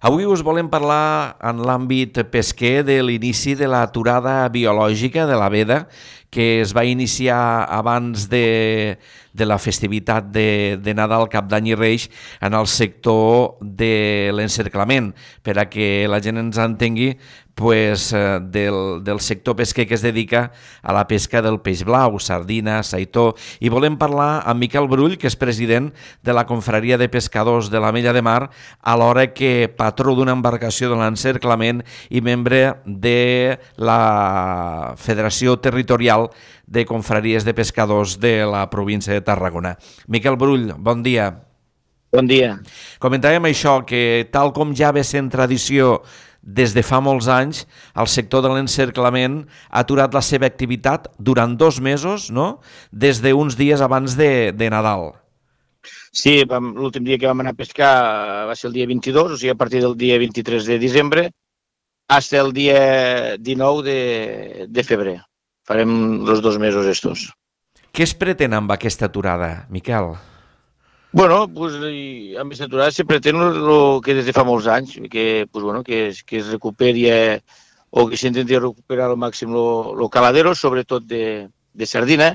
Avui us volem parlar en l'àmbit pesquer de l'inici de l'aturada biològica de la veda que es va iniciar abans de la festivitat de Nadal, Cap d'Any i Reis en el sector de l'encerclament. Per a que la gent ens entengui, del sector pesquer que es dedica a la pesca del peix blau, sardina, saitó. I volem parlar amb Miquel Brull, que és president de la Confraria de Pescadors de l'Ametlla de Mar, alhora que patró d'una embarcació de l'encerclament i membre de la Federació Territorial de Confraries de Pescadors de la província de Tarragona. Miquel Brull, bon dia. Bon dia. Comentàvem això, que tal com ja ve sent tradició des de fa molts anys, el sector de l'encerclament ha aturat la seva activitat durant 2 mesos, no? Des d'uns dies abans de Nadal. Sí, l'últim dia que vam anar a pescar va ser el dia 22, o sigui, a partir del dia 23 de desembre fins el dia 19 de febrer. Farem els 2 mesos estos. Què es pretén amb aquesta aturada, Miquel? Bueno, pues, amb aquesta aturada se pretén el que des de fa molts anys, que, pues, bueno, que es recuperi o que s'intenti recuperar al màxim el caladero, sobretot de sardina,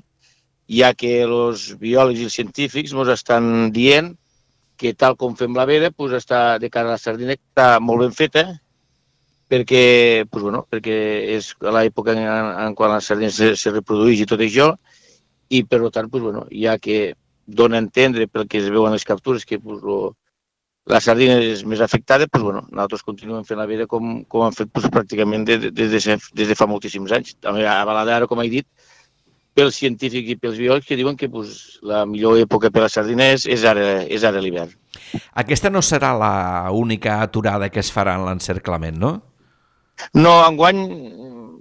ja que els biòlegs i els científics ens estan dient que tal com fem la veda, pues, està de cara a la sardina està molt ben feta, perquè, pues, bueno, perquè és a l'època en quan la sardina se reprodueix i tot això, i per tant, pues, bueno, ja que dona a entendre pel que es veuen les captures que pues, la sardina és més afectada, pues, bueno, nosaltres continuem fent la veda com hem fet pues, pràcticament des de fa moltíssims anys. També avalada ara, com he dit, pels científics i pels biòlegs que diuen que pues, la millor època per a la sardina és ara l'hivern. Aquesta no serà l'única aturada que es farà en l'encerclament, no? No, enguany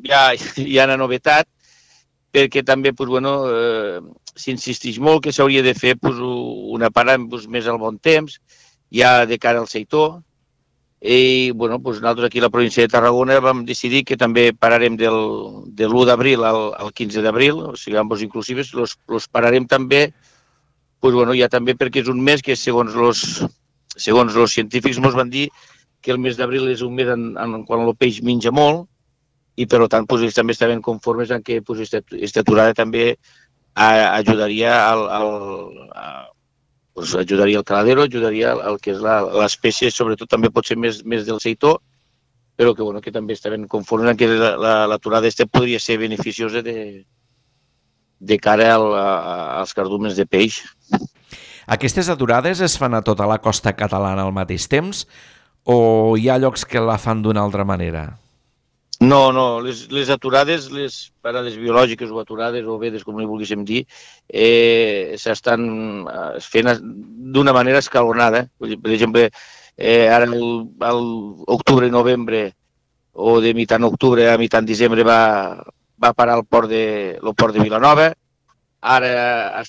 hi ha una novetat, perquè també pues, bueno, s'insisteix molt que s'hauria de fer pues, una parada pues, més al bon temps, ja de cara al seitó, i bueno, pues, nosaltres aquí a la província de Tarragona vam decidir que també pararem de l'1 d'abril al 15 d'abril, o sigui, ambos inclusives, los pararem també, pues, bueno, ja també perquè és un mes que segons els científics ens van dir que el mes d'abril és un mes en quan el peix menja molt, i per tant pues, ells també estaven conformes en que pues, aquesta aturada també ajudaria ajudaria el caladero, ajudaria el que és l'espècie, sobretot també pot ser més del seitó, però que, bueno, que també estaven conformes en que l'aturada podria ser beneficiosa de cara als cardúmens de peix. Aquestes aturades es fan a tota la costa catalana al mateix temps o hi ha llocs que la fan d'una altra manera? No, les aturades, les parades biològiques o aturades o vedes, com li volguéssim dir, s'estan fent d'una manera escalonada. Per exemple, ara l'octubre i novembre, o de mitjan octubre a mitjan desembre va parar el port de Vilanova. Ara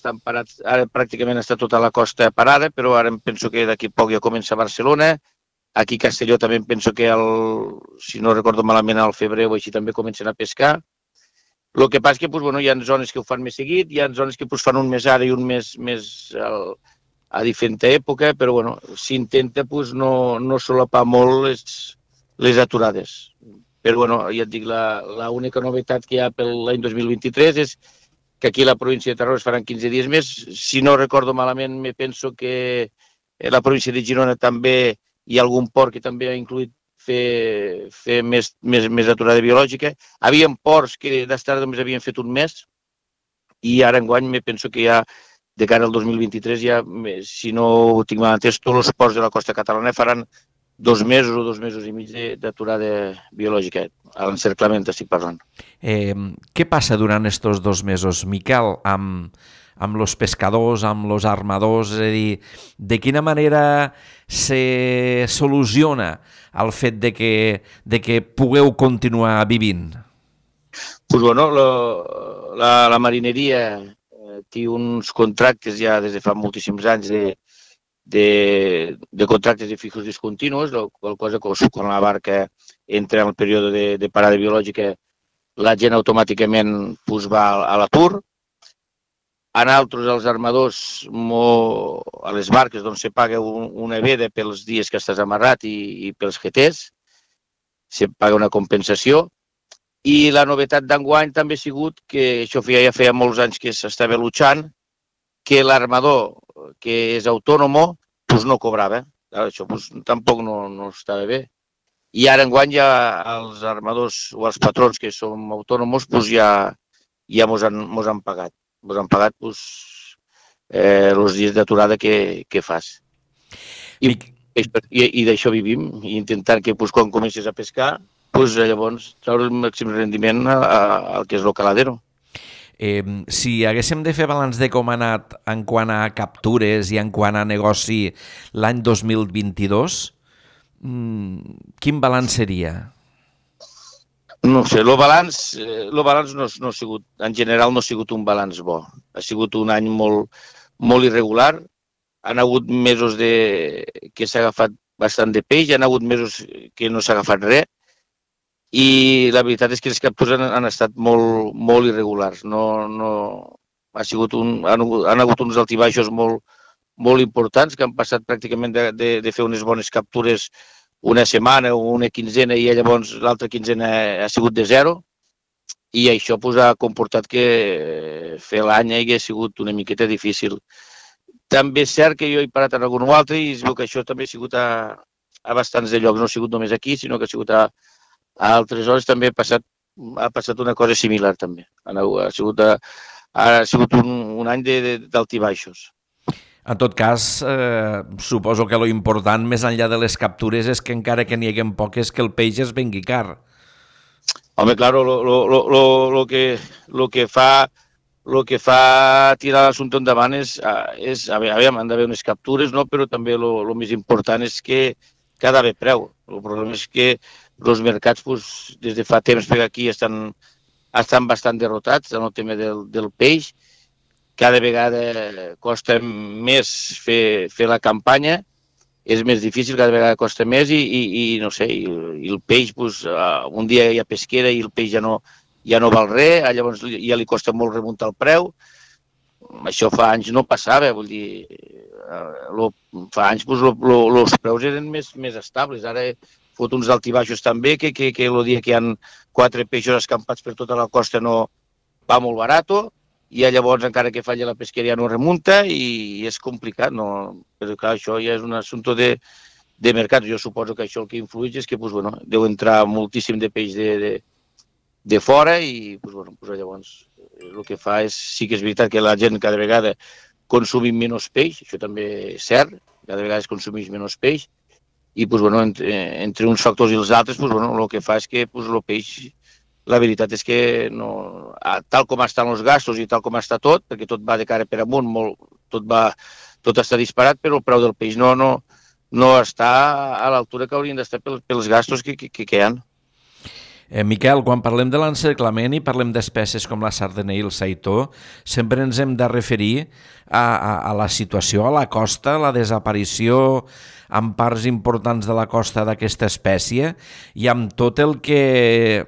pràcticament està tota la costa parada, però ara em penso que d'aquí poc ja comença a Barcelona. Aquí a Castelló també penso que, si no recordo malament, al febrer o així també comencen a pescar. El que passa és que pues, bueno, hi ha zones que ho fan més seguit, hi ha zones que pues, fan un mes ara i un mes a diferent època, però bueno, s'intenta pues, no solapar molt les aturades. Però bueno, ja et dic, l'única novetat que hi ha per l'any 2023 és que aquí a la província de Tarragona es faran 15 dies més. Si no recordo malament, me penso que la província de Girona també hi ha algun port que també ha incluït fer més aturada biològica. Havien ports que d'estar només havien fet un mes i ara enguany me penso que ja de cara al 2023 ja, si no ho tinc mal entès, tots els ports de la costa catalana faran 2 mesos o 2 mesos i mig d'aturada biològica. A l'encerclament estic parlant. Què passa durant aquests 2 mesos, Miquel, amb els pescadors, amb els armadors? És a dir, de quina manera se soluciona el fet de que pugueu continuar vivint? Pues bueno, la marineria té uns contractes ja des de fa moltíssims anys de contractes de fijos discontinus, qual cosa que quan la barca entra en el període de parada biològica, la gent automàticament pues, va a l'atur. a nosaltres, els armadors, a les barques, doncs se paga una veda pels dies que estàs amarrat i pels GTs, se paga una compensació. I la novetat d'enguany també ha sigut, que això ja feia molts anys que s'estava luchant, que l'armador que és autònomo pues no cobrava. Això pues, tampoc no estava bé. I ara enguany ja els armadors o els patrons que som autònoms pues ja mos han pagat. Mos han pagat pues, els dies d'aturada que fas. I d'això vivim, i intentant que pues, quan comences a pescar, pues, llavors treure el màxim rendiment al que és el caladero. Si haguéssim de fer balanç de com ha anat en quant a captures i en quant a negoci l'any 2022, quin balanç seria? No sé, el balanç no ha sigut, en general no ha sigut un balanç bo. Ha sigut un any molt irregular. Han hagut mesos que s'ha agafat bastant de peix, hi ha hagut mesos que no s'ha agafat res, i la veritat és que les captures han estat molt irregulars. Han hagut uns altibaixos molt importants, que han passat pràcticament de fer unes bones captures una setmana o una quinzena, i llavors l'altra quinzena ha sigut de zero, i això pues, ha comportat que fer l'any hagi sigut una miqueta difícil. També és cert que jo he parat en algun altre i es veu que això també ha sigut a bastants de llocs, no ha sigut només aquí, sinó que ha sigut a altres hores. També ha passat una cosa similar també. Ha sigut un any d'altibaixos. En tot cas, suposo que lo important més enllà de les captures és que encara que n'hi haguem poques, que el peix es vengui car. Home, clar, lo que fa tirar l'assumpte endavant és aviam, han d'haver unes captures, no? Però també el més important és que ha d'haver preu. El problema és que els mercats, pues, des de fa temps per aquí, estan bastant derrotats en el tema del peix. Cada vegada costa més fer la campanya, és més difícil, cada vegada costa més i no sé, i el peix, pues, un dia hi ha pesquera i el peix ja no val res, llavors ja li costa molt remuntar el preu. Això fa anys no passava, vull dir, fa anys pues, els preus eren més estables. Ara fot uns altibaixos també, que el dia que hi ha 4 peixos escampats per tota la costa no va molt barat, i llavors encara que falla la pesqueria no remunta i és complicat, no? Però clar, això ja és un assumpte de mercat. Jo suposo que això el que influeix és que pues, bueno, deu entrar moltíssim de peix de fora i pues, bueno, pues, llavors el que fa és, sí que és veritat que la gent cada vegada consumim menys peix, això també és cert, cada vegada es consumeix menys peix, i pues, bueno, entre uns factors i els altres, pues, bueno, el que fa és que pues, el peix, la veritat és que no, tal com estan els gastos i tal com està tot, perquè tot va de cara per amunt, tot està disparat, però el preu del peix no està a l'altura que haurien d'estar pels gastos que hi ha. Miquel, quan parlem de l'encerclament i parlem d'espècies com la sardana i el saitó, sempre ens hem de referir a la situació a la costa, la desaparició en parts importants de la costa d'aquesta espècie i amb tot el que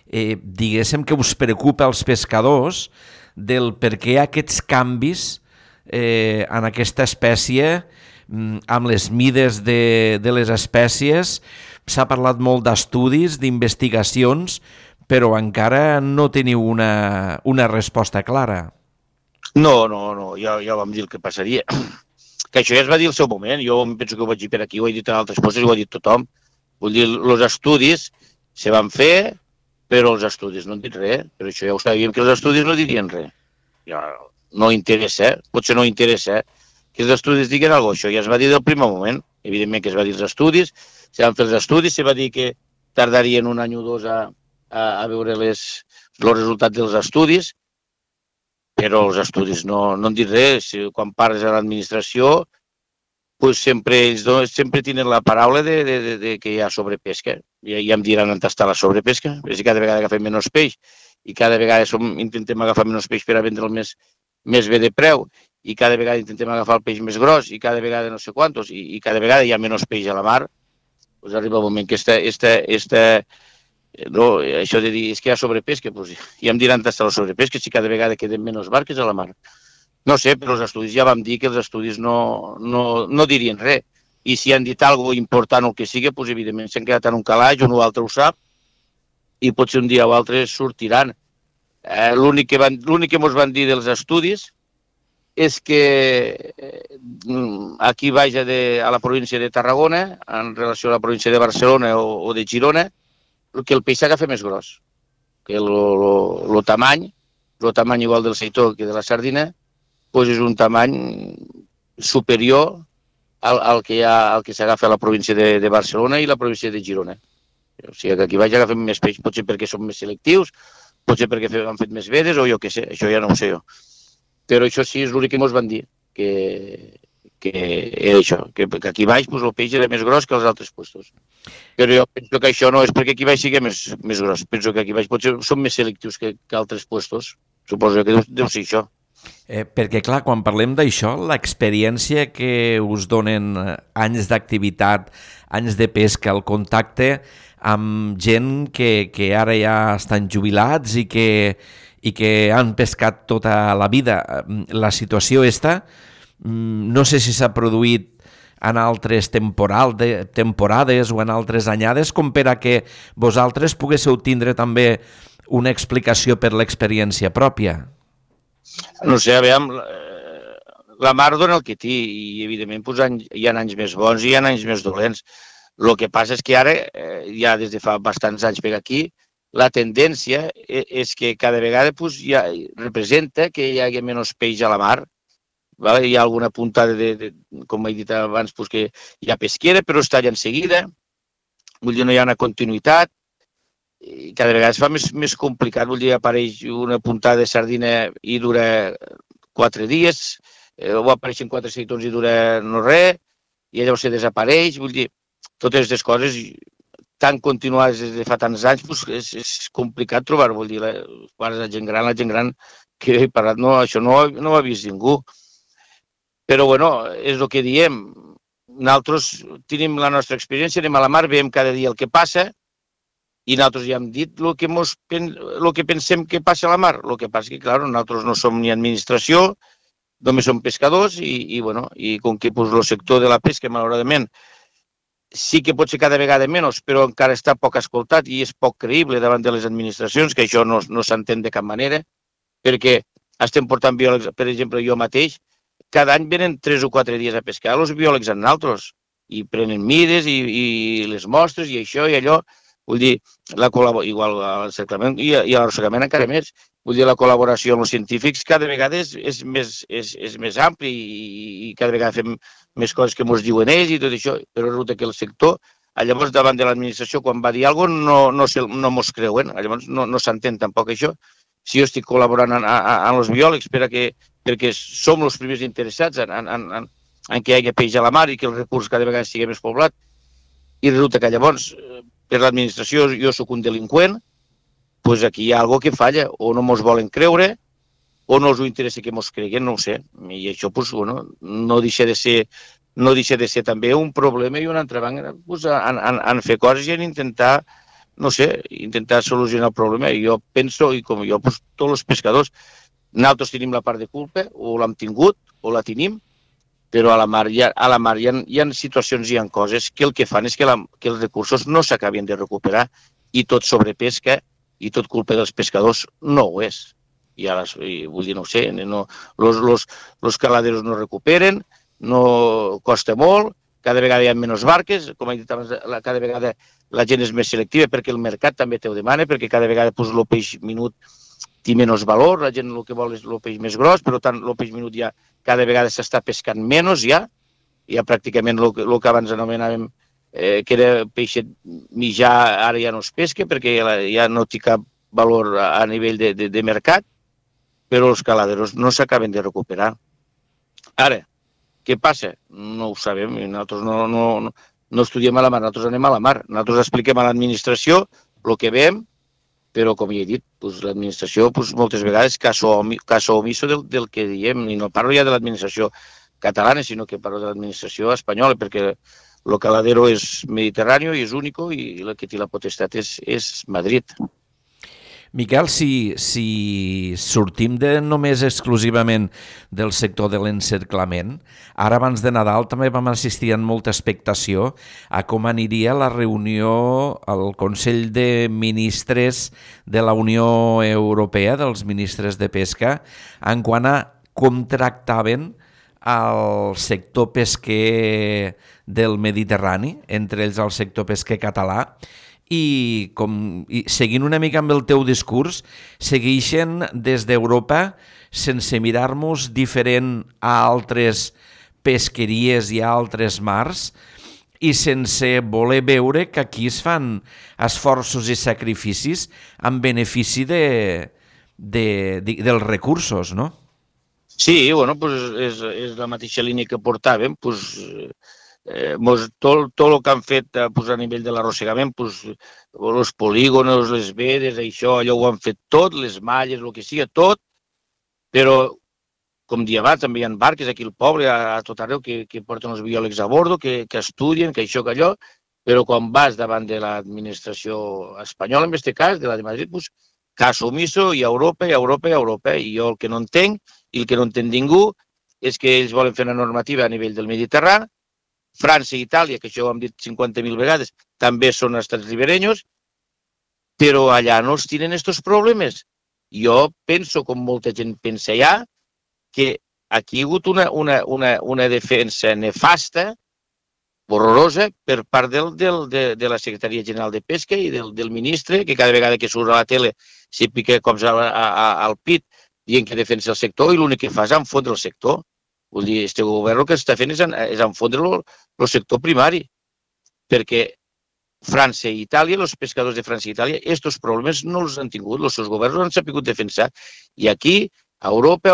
diguéssim que us preocupa als pescadors del per què aquests canvis en aquesta espècie, amb les mides de les espècies. S'ha parlat molt d'estudis, d'investigacions, però encara no teniu una resposta clara. No, ja vam dir el que passaria. Que això ja es va dir al seu moment, jo penso que ho vaig dir per aquí, ho he dit en altres coses, ho ha dit tothom. Vull dir, els estudis se van fer, però els estudis no han dit res, però això ja ho sabíem que els estudis no dirien res. Ja no interessa, potser no interessa que els estudis diguin alguna cosa, això ja es va dir del primer moment, evidentment que es va dir els estudis, se van fer els estudis, se va dir que tardarien un any o dos a veure els resultats dels estudis, però els estudis no han dit res. Quan parles a l'administració, pues sempre tenen la paraula de que hi ha sobrepesca. Ja em diran on està la sobrepesca, però si cada vegada agafem menys peix i cada vegada intentem agafar menys peix per a vendre'l més bé de preu i cada vegada intentem agafar el peix més gros i cada vegada no sé quantos i cada vegada hi ha menys peix a la mar, doncs arriba un moment que No, això de dir, és que hi ha sobrepesca, doncs ja em diran tastar la sobrepesca si cada vegada queden menys barques a la mar. No sé, però els estudis ja vam dir que els estudis no dirien res. I si han dit alguna important o el que sigui, doncs evidentment s'han quedat en un calaix, un o altre ho sap, i potser un dia o altre sortiran. L'únic que ens van dir dels estudis és que aquí baix a la província de Tarragona, en relació a la província de Barcelona o de Girona, que el peix s'agafa més gros, que el tamany igual del seitó que de la sardina, doncs és un tamany superior al que s'agafa a la província de Barcelona i la província de Girona. O sigui que aquí baix agafem més peix, potser perquè som més selectius, potser perquè han fet més vedes o jo què sé, això ja no ho sé jo. Però això sí, és l'únic que ens van dir, que era això, que aquí baix pues, el peix era més gros que als altres puestos. Però jo penso que això no és perquè aquí baix sigui més gros, penso que aquí baix potser som més selectius que altres puestos, suposo que deu ser això. Perquè, clar, quan parlem d'això, l'experiència que us donen anys d'activitat, anys de pesca, el contacte amb gent que ara ja estan jubilats i que han pescat tota la vida. La situació esta, no sé si s'ha produït en altres temporades o en altres anyades, com per a que vosaltres poguéssiu tindre també una explicació per l'experiència pròpia. No sé, aviam, la mar dona el que té i evidentment pues, hi ha anys més bons i hi ha anys més dolents. El que passa és que ara, ja des de fa bastants anys per aquí, la tendència és que cada vegada pues, ja representa que hi hagi menys peix a la mar. Vale? Hi ha alguna puntada, com he dit abans, pues, que hi ha pesquera, però es talla en seguida. Vull dir, no hi ha una continuïtat. I cada vegada es fa més complicat. Vull dir, apareix una puntada de sardina i dura 4 dies, o apareixen 4 seitons i dura no res, i llavors se desapareix. Vull dir, totes aquestes coses tan continuades des de fa tants anys, pues, és complicat trobar. Vull dir, la gent gran que he parlat, no, això no ho ha vist ningú. Però, bueno, és el que diem. Nosaltres tenim la nostra experiència, anem a la mar, veiem cada dia el que passa, i nosaltres ja hem dit el que pensem que passa a la mar. El que passa és que, clar, nosaltres no som ni administració, només som pescadors, i com que pues, el sector de la pesca, malauradament, sí que pot ser cada vegada menys, però encara està poc escoltat i és poc creïble davant de les administracions, que això no s'entén de cap manera, perquè estem portant biòlegs, per exemple, jo mateix, cada any venen 3 o 4 dies a pescar els biòlegs amb nosaltres, i prenen mides i les mostres i això i allò. Vull dir, igual l'encerclament i l'arrossegament encara més. Vull dir, la col·laboració amb els científics cada vegada és més ampli i cada vegada fem més coses que ens diuen ells i tot això, però resulta que el sector, llavors davant de l'administració, quan va dir alguna cosa, no mos creuen, llavors no s'entén tampoc això. Si jo estic col·laborant amb els biòlegs perquè som els primers interessats en que hi hagi peix a la mar i que el recurs cada vegada sigui més poblat, i resulta que llavors per l'administració jo sóc un delinqüent, doncs aquí hi ha alguna cosa que falla, o no mos volen creure, o no els interessa que mos creguen, no ho sé. I això no deixa de ser també un problema i una entrebanca en fer coses i en intentar, no sé, intentar solucionar el problema. I jo penso, i com jo, tots els pescadors, nosaltres tenim la part de culpa, o l'hem tingut, o la tenim, però a la mar hi ha situacions, hi ha coses que el que fan és que els recursos no s'acabin de recuperar i tot sobrepesca i tot culpa dels pescadors no ho és. Vull dir, no ho sé, els caladeros no recuperen, no costa molt, cada vegada hi ha menys barques, com he dit abans, cada vegada la gent és més selectiva perquè el mercat també te ho demana, perquè cada vegada el peix minut té menys valor, la gent el que vol és el peix més gros, però tant el peix minut ja cada vegada s'està pescant menys ja pràcticament el que abans anomenàvem que era peixet mitjà, ara ja no es pesca perquè ja no té cap valor a nivell de mercat, però els caladeros no s'acaben de recuperar. Ara, què passa? No ho sabem, nosaltres no estudiem a la mar, nosaltres anem a la mar, nosaltres expliquem a l'administració el que veiem, però, com ja he dit, l'administració moltes vegades caso omiso del que diem, i no parlo ja de l'administració catalana, sinó que parlo de l'administració espanyola, perquè el caladero és Mediterrani i és únic i el que té la potestat és Madrid. Miquel, si sortim només exclusivament del sector de l'encerclament, ara abans de Nadal també vam assistir amb molta expectació a com aniria la reunió al Consell de Ministres de la Unió Europea, dels ministres de pesca, en quant a com tractaven al sector pesquer del Mediterrani, entre ells el sector pesquer català, i seguint una mica amb el teu discurs, segueixen des d'Europa sense mirar-nos diferent a altres pesqueries i a altres mars i sense voler veure que aquí es fan esforços i sacrificis en benefici dels recursos, no? Sí, bueno, pues és la mateixa línia que portàvem, pues, tot el que han fet pues, a nivell de l'arrossegament, pues, els polígonos, les vedes, això, allò ho han fet tot, les malles, el que sigui, tot, però, com dia abans, també hi ha barques aquí al poble, a tot arreu, que porten els biòlegs a bordo, que estudien, que això, que allò, però quan vas davant de l'administració espanyola, en aquest cas, de la de Madrid, pues, cas omiso, i a Europa, i a Europa, i a Europa, i jo el que no entenc, i el que no entén ningú, és que ells volen fer una normativa a nivell del Mediterrani. França i Itàlia, que això ho hem dit 50.000 vegades, també són estats riberenyos, però allà no es tenen aquests problemes. Jo penso, com molta gent pensa allà, que aquí hi ha hagut una defensa nefasta, horrorosa, per part de la Secretaria General de Pesca i del ministre, que cada vegada que surt a la tele s'hi pica cops al pit dient que defensa el sector i l'únic que fa és enfondre el sector. Vull dir, este govern el que està fent és enfondre el sector primari, perquè França i Itàlia, els pescadors de França i Itàlia, aquests problemes no els han tingut, els seus governs no han sabut defensar. I aquí, a Europa,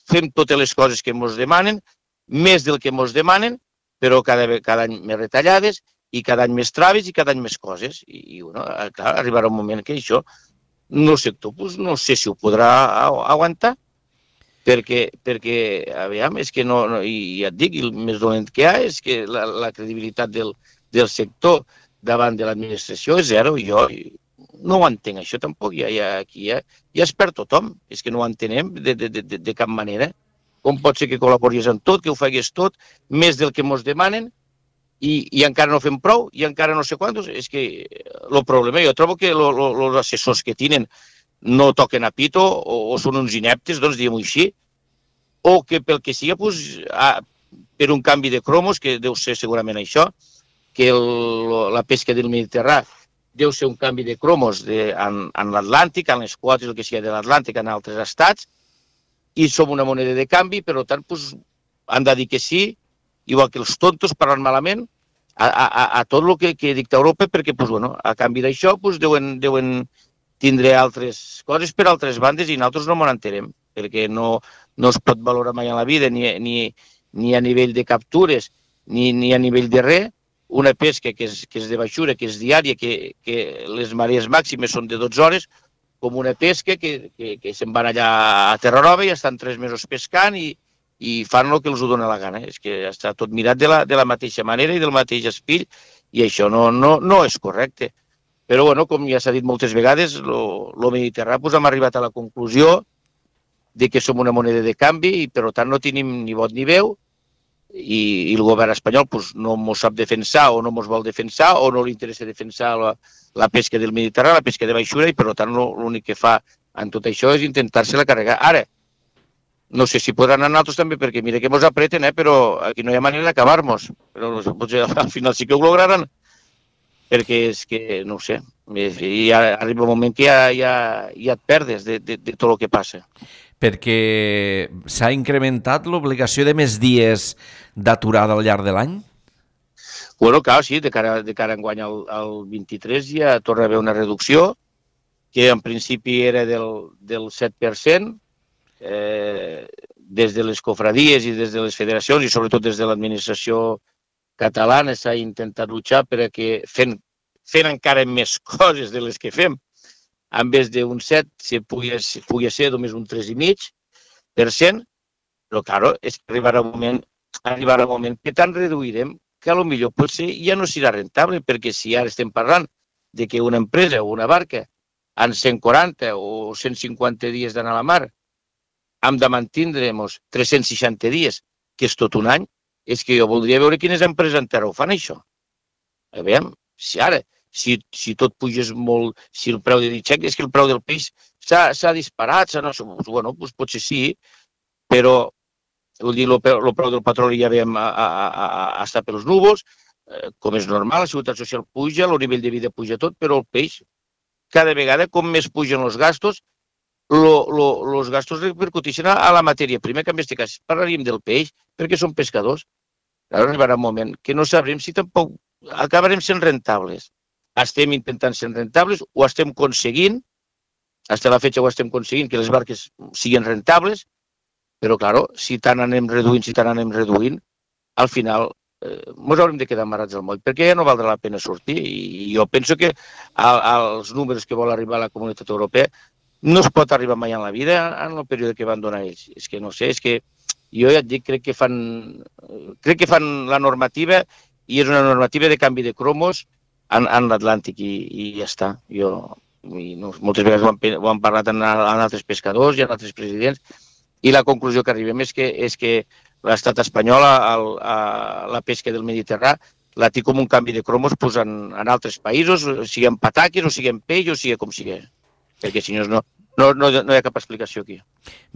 fem totes les coses que ens demanen, més del que ens demanen, però cada any més retallades, i cada any més traves i cada any més coses. I bueno, clar, arribarà un moment que això, el sector, pues, no sé si ho podrà aguantar, perquè aviam, és que no, i ja et dic, el més dolent que hi ha és que la credibilitat del sector davant de l'administració és zero. Jo no ho entenc, això tampoc, aquí ja es perd tothom, és que no ho entenem de cap manera. Com pot ser que col·laboris en tot, que ho facis tot, més del que ens demanen, i encara no fem prou, i encara no sé quantos. És que el problema, jo trobo que els assessors que tenen no toquen a pito o són uns ineptes, doncs diguem-ho així, o que pel que sigui, pues, per un canvi de cromos, que deu ser segurament això, que la pesca del Mediterrani deu ser un canvi de cromos en l'Atlàntic, en les quotes, el que sigui de l'Atlàntic, en altres estats, i som una moneda de canvi, per tant, pues, han de dir que sí, igual que els tontos parlant malament, a tot el que dicta Europa, perquè pues, bueno, a canvi d'això pues, deuen tindre altres coses per altres bandes i nosaltres no m'ho entenem, perquè no es pot valorar mai en la vida, ni a nivell de captures, ni a nivell de res, una pesca que és de baixura, que és diària, que les marees màximes són de 12 hores, com una pesca que se'n van allà a Terra Nova i estan 3 mesos pescant i fan el que els dona la gana. És que està tot mirat de la mateixa manera i del mateix espill, i això no és correcte. Però, bueno, com ja s'ha dit moltes vegades, el Mediterrani pues, hem arribat a la conclusió de que som una moneda de canvi i, per tant, no tenim ni vot ni veu, i el govern espanyol pues, no ens sap defensar o no ens vol defensar o no li interessa defensar la pesca del Mediterrani, la pesca de baixura, i, per tant, l'únic que fa en tot això és intentar-se-la carregar. Ara, no sé si podran anar altres també, perquè mira que ens apreten, però aquí no hi ha manera d'acabar-nos. Però potser al final sí que ho lograran, perquè és que, no ho sé, i arriba un moment que ja et perdes de tot el que passa. Perquè s'ha incrementat l'obligació de més dies d'aturada al llarg de l'any? Bueno, clar, sí, de cara a enguany al 23 ja torna a haver una reducció, que en principi era del 7%, des de les cofradies i des de les federacions i sobretot des de l'administració catalana s'ha intentat luchar perquè fent encara més coses de les que fem, en vez d'un 7, si pugui ser només un 3,5%, però, clar, és que arribarà un moment que tant reduirem que potser potser ja no serà rentable, perquè si ara estem parlant de que una empresa o una barca en 140 o 150 dies d'anar a la mar hem de mantindre-nos 360 dies, que és tot un any, és que jo voldria veure quines empreses encara ho fan, això. A veure, si tot pugés molt, si el preu de ditxec, és que el preu del peix s'ha disparat, bueno, doncs potser sí, però vull dir, el preu del petroli ja veiem estar pels núvols, com és normal, la seguretat social puja, el nivell de vida puja tot, però el peix, cada vegada, com més pugen els gastos, els gastos repercuteixen a la matèria prima, que en aquest cas parlaríem del peix, perquè són pescadors. Ara arribarà un moment que no sabrem si tampoc acabarem sent rentables. Estem intentant ser rentables, ho estem aconseguint, fins a la fetge ho estem aconseguint, que les barques siguin rentables, però, clar, si tant anem reduint, al final ens haurem de quedar amarrats al moll, perquè ja no valdrà la pena sortir. I jo penso que als números que vol arribar la Comunitat Europea no es pot arribar mai en la vida en el període que van donar ells. És que no sé, és que jo ja et dic, crec que fan la normativa i és una normativa de canvi de cromos en l'Atlàntic i ja està. Moltes vegades ho han parlat en altres pescadors i en altres presidents i la conclusió que arribem és que l'estat espanyol, la pesca del Mediterrani, la té com un canvi de cromos en altres països, sigui en pataques o sigui en peix o sigui com sigui. Perquè si no hi ha cap explicació aquí.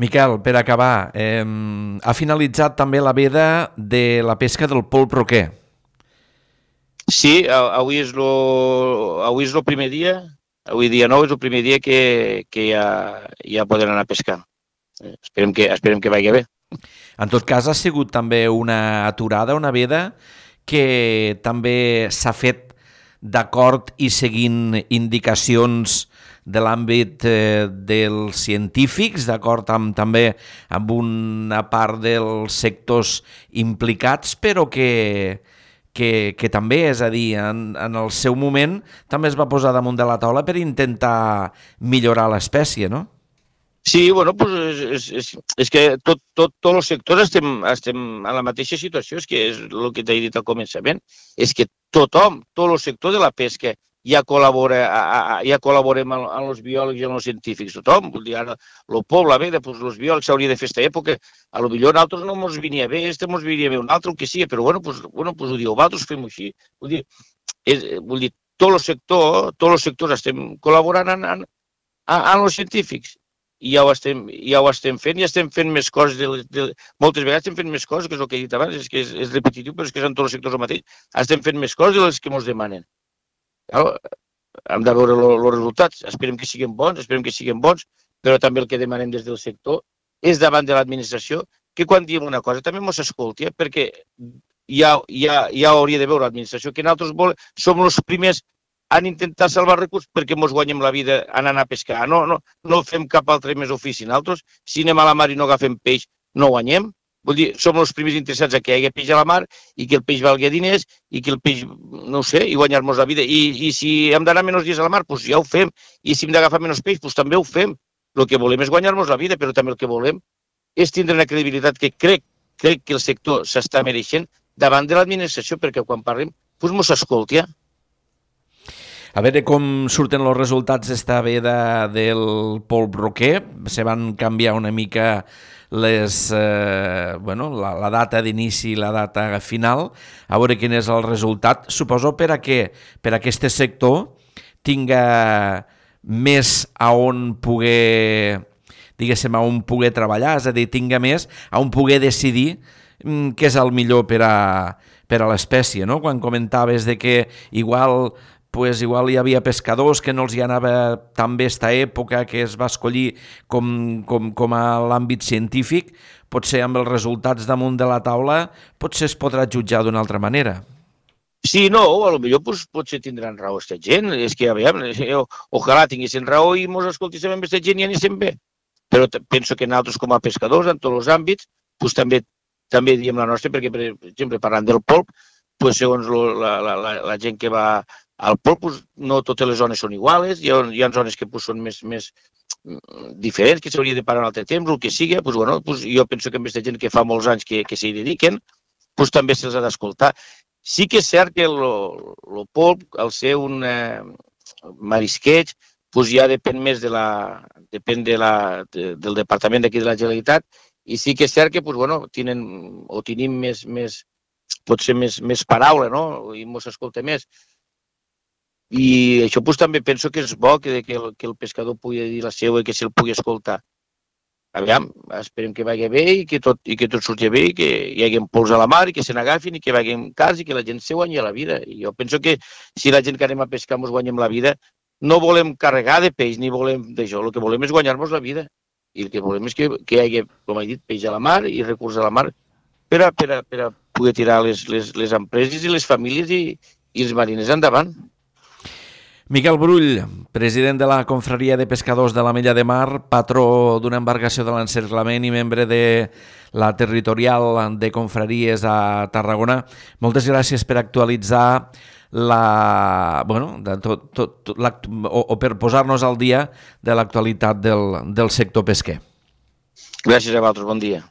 Miquel, per acabar, ha finalitzat també la veda de la pesca del polp roquer. Sí, avui és el primer dia, avui dia 9 és el primer dia que ja poden anar a pescar. Esperem que vagi bé. En tot cas, ha sigut també una aturada, una veda, que també s'ha fet d'acord i seguint indicacions de l'àmbit dels científics, d'acord també amb una part dels sectors implicats, però que també, és a dir, en el seu moment també es va posar damunt de la taula per intentar millorar l'espècie, no? Sí, bueno, pues és que tots els sectors estem en la mateixa situació, és que és el que t'he dit al començament, és que tothom, tot el sector de la pesca ja col·laborem amb els biòlegs i amb els científics, tothom, vull dir, ara el poble, la veda, doncs els biòlegs s'hauria de fer aquesta època, a lo millor a nosaltres no ens venia bé, ens venia bé un altre, el que sigui, però bueno, ho dieu, vosaltres fem-ho així, vull dir, tot el sector estem col·laborant amb els científics, i ja ho estem fent, i estem fent més coses, moltes vegades estem fent més coses, que és el que he dit abans, és que és repetitiu, però és que és en tots els sectors el mateix, estem fent més coses de les que ens demanen. Hem de veure els resultats, esperem que siguin bons, però també el que demanem des del sector és davant de l'administració que quan diem una cosa també ens escolti, perquè ja hauria de veure l'administració que nosaltres som els primers en intentar salvar recursos perquè ens guanyem la vida anant a pescar. No fem cap altre més ofici. Nosaltres, si anem a la mar i no agafem peix, no guanyem. Vull dir, som els primers interessats a que hi hagi peix a la mar i que el peix valgui diners i que el peix, no sé, i guanyar-nos la vida. I si hem d'anar menys dies a la mar, doncs ja ho fem. I si hem d'agafar menys peix, doncs també ho fem. El que volem és guanyar-nos la vida, però també el que volem és tindre una credibilitat que crec que el sector s'està mereixent davant de l'administració, perquè quan parlem, doncs mos escolti. A veure com surten els resultats d'esta veda del polp roquer. Se van canviar una mica la data d'inici i la data final. A veure quin és el resultat. Suposo per a aquest sector tinga més a on poder, diguéssim, a on poder treballar, és a dir, tinga més a on poder decidir què és el millor per a l'espècie, no? Quan comentaves de que igual hi havia pescadors que no els hi anava tan bé esta època, que es va escollir com a l'àmbit científic, potser amb els resultats damunt de la taula potser es podrà jutjar d'una altra manera. Sí, no, potser potser tindran raó aquesta gent, és que ojalà tinguessin raó i ens escoltíssim amb aquesta gent i aníssim bé. Però penso que nosaltres com a pescadors, en tots els àmbits, també diem la nostra, perquè, per exemple, parlant del polp, segons la gent que va al polp, no totes les zones són iguals, hi ha zones que són més diferents, que s'hauria de parar un altre temps, el que sigui, jo penso que amb aquesta gent que fa molts anys que s'hi dediquen, també se'ls ha d'escoltar. Sí que és cert que el polp, al ser un marisqueig, doncs ja depèn més del departament d'aquí de la Generalitat, i sí que és cert que tenim potser més paraula, no? I ens escolta més. I això també penso que és bo que el pescador pugui dir la seva i que se'l pugui escoltar. Aviam, esperem que vagi bé i que tot surti bé, i que hi hagi pols a la mar i que se n'agafin i que vagin cars i que la gent se guanyi la vida. I jo penso que si la gent que anem a pescar ens guanyem la vida, no volem carregar de peix ni volem d'això, el que volem és guanyar-nos la vida. I el que volem és que hi hagi, com he dit, peix a la mar i recurs a la mar per a poder tirar les empreses i les famílies i els mariners endavant. Miquel Brull, president de la Confraria de Pescadors de l'Ametlla de Mar, patró d'una embarcació de l'encerclament i membre de la territorial de confraries a Tarragona. Moltes gràcies per actualitzar o per posar-nos al dia de l'actualitat del sector pesquer. Gràcies a vosaltres, bon dia.